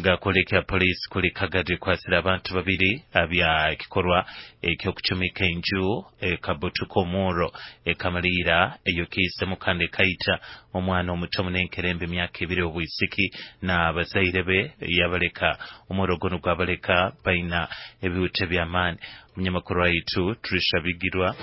Gakwoleka poliisi kuli Kagadi ekwasire abantu babiri abya ekikorwa ekyokucumika enju ekabutuka omurro ekamaliira eyokiisemu kandi ekaita omwana omuto munenkerembe emyaka 2 obwisiki na bazaire be yabaleka omurro guno gwabaleka baina ebihuta by'amaani. Omunyamakuru waitu Trisha Bigirwa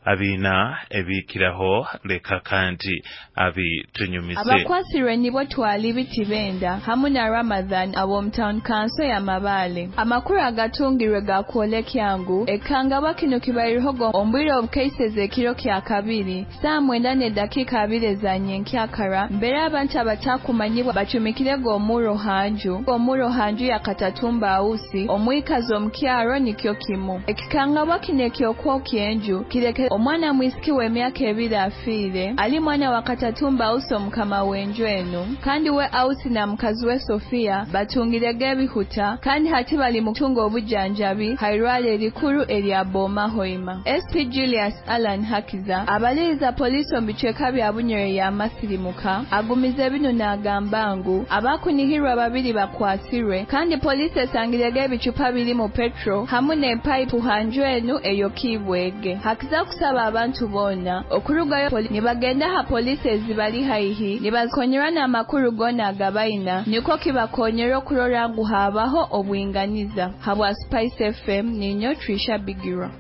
abina ebikiraho leka kandi abitunyumise. Abakwasirwe nibo Twali Bitibenda hamu na Ramadhan ab'omu town council ya Mabale. Amakuru agatungirwe gakwolekya ngu ekangabwa kino kibaireho ombwire obukaiseze ekiro kya kabiri saa 9:20 za nyenkyakara mbere abantu abatakumanyibwa bacumikirego omuro hanju ya Katatumba Ausi omwikazi omukyaro nikyo kimu. Ekikangabwa kino ekyokwokya enju kireke omwana mwisiki w'emyaka 2 afiire ali mwana wa Katatumba Ausi omukama w'enju enu, kandi we Ausi na mukazi we Sofia batungirege ebihuta kandi hati bali mu kutunga obujanjabi hairwale erikuru erya Boma Hoima. SP Julius Alan Hakiza abaliriza polisi omu bicweka bya Bunyore ya Masirimuka agumize bino n'agamba ngu abakunihirwa babiri bakwasirwe kandi polisi esangirege ebicupa biri mu petro hamu n'epayipu hanju enu eyokibwege. Hakiza kusaba abantu bona okurugayo nibagenda ha polisi ezibali haihi nibazikonyera n'amakuru gona agabaina niko kibakonyera okurora ngu habaho obwinganiza. Habwa Spice FM ninyo Trisha Bigirwa.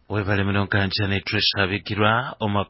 Webale muno ganjane Trisha Bigirwa.